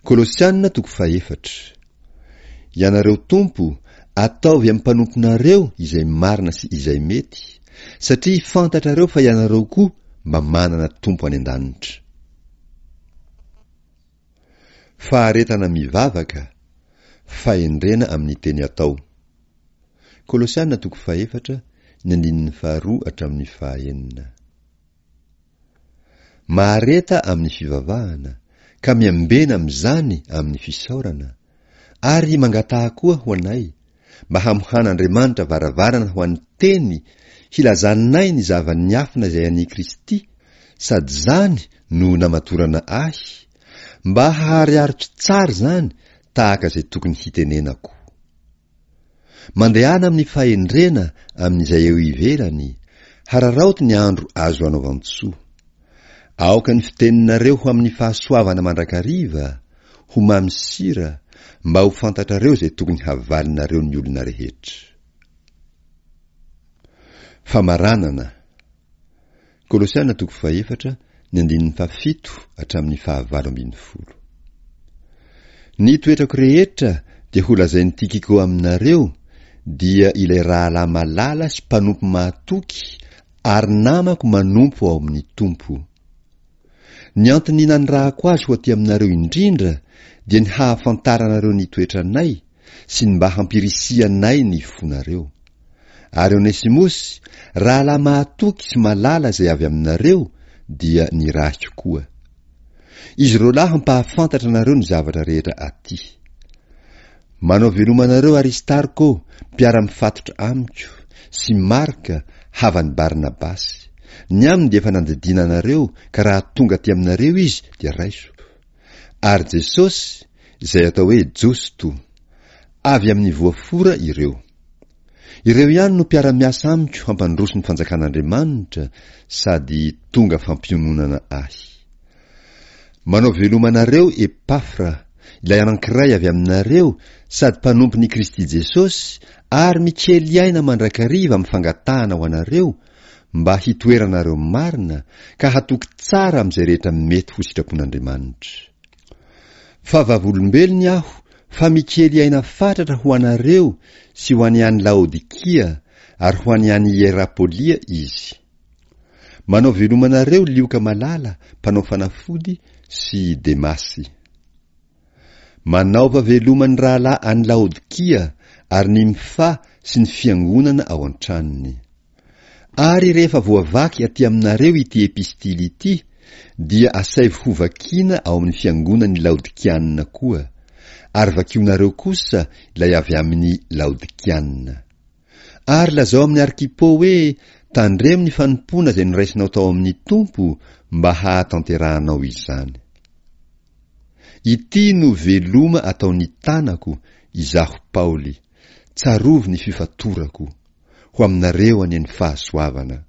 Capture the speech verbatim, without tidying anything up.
Kolosiana toko fahefatra. Ianareo Tompo, ataovy amin'ny mpanomponareo izay marina sy izay mety, satria fantatrareo fa ianareo koa mba manana Tompo any an-danitra. Faharetana mivavaka, fahendrena amin'ny teny atao. Kolosiana toko fahefatra, ny andininy faharoa hatramin'ny fahaenina. Mahareta amin'ny fivavahana, ka miambena amin'izany amin'ny fisaorana, ary mangataha koa ho anay, mba hamohan'Andriamanitra varavarana ho an'ny teny hilazanay ny zava-niafina izay an'i Kristy, sady izany no namatorana ahy, mba haharihariko tsara izany tahaka izay tokony hitenenako. Mandehana amin'ny fahendrena amin'izay eo ivelany, hararaoty ny andro azo anaovan-tsoa. Aoka ny fiteninareo ho amin'ny fahasoavana mandrakariva, ho mamy sira, mba ho fantatrareo izay tokony havalinareo ny olona rehetra. Famaranana. Kolosiana toko fahefatra, ny andininy fahafito hatramin'ny fahavalo ambin'ny folo. Ny toetrako rehetra dia holazain'i Tikiko aminareo, dia ilay rahalahy malala sy mpanompo mahatoky ary namako manompo ao amin'ny Tompo. Ny antony nanirahako azy ho aty aminareo indrindra dia ny hahafantaranareo ny toetranay sy ny mba hampirisihanay ny fonareo. Ary Onesimosy, rahalahy mahatoky sy malala izay avy aminareo, dia nirahiko koa. Izy roa lahy hampahafantatra anareo ny zavatra rehetra aty. Manao veloma anareo Aristarko, mpiara-mifatotra amiko, sy Marka, havan'i Barnabasy. Ny aminy dia efa nandidiana anareo, ka raha tonga aty aminareo izy dia raiso. Ary Jesosy, izay atao hoe Josto. Avy amin'ny voafora ireo. Ireo ihany no mpiara-miasa amiko hampandroso ny fanjakan'Andriamanitra sady tonga fampiononana ahy. Manao veloma anareo Epafra, ilay anankiray avy aminareo sady mpanompon'i Kristy Jesosy ary mikely aina mandrakariva amin'ny fangatahana ho anareo mba hitoeranareo marina ka hatoky tsara amin'izay rehetra mety ho sitrapon'Andriamanitra. Fa vavolombelony aho fa mikely aina fatratra ho anareo sy ho an'ny any Laodikia ary ho an'ny any Hierapolia izy. Manao veloma anareo Lioka malala mpanao fanafody sy Demasy. Manaova veloma ny rahalahy any Laodikia ary Nymfa sy ny fiangonana ao an-tranony. Ary rehefa voavaky aty aminareo ity epistily ity, dia asaivo hovakiana ao amin'ny fiangonan'ny Laodikianina koa, ary vakionareo kosa ilay avy amin'ny Laodikianina. Ary lazao amin'ny Arkipo hoe, tandremo ny fanompoana izay noraisinao tao amin'ny Tompo mba hahatanterahanao izany. Ity no veloma ataon'ny tanako, izaho Paoly. Tsarovy ny fifatorako. Ho aminareo anie ny fahasoavana.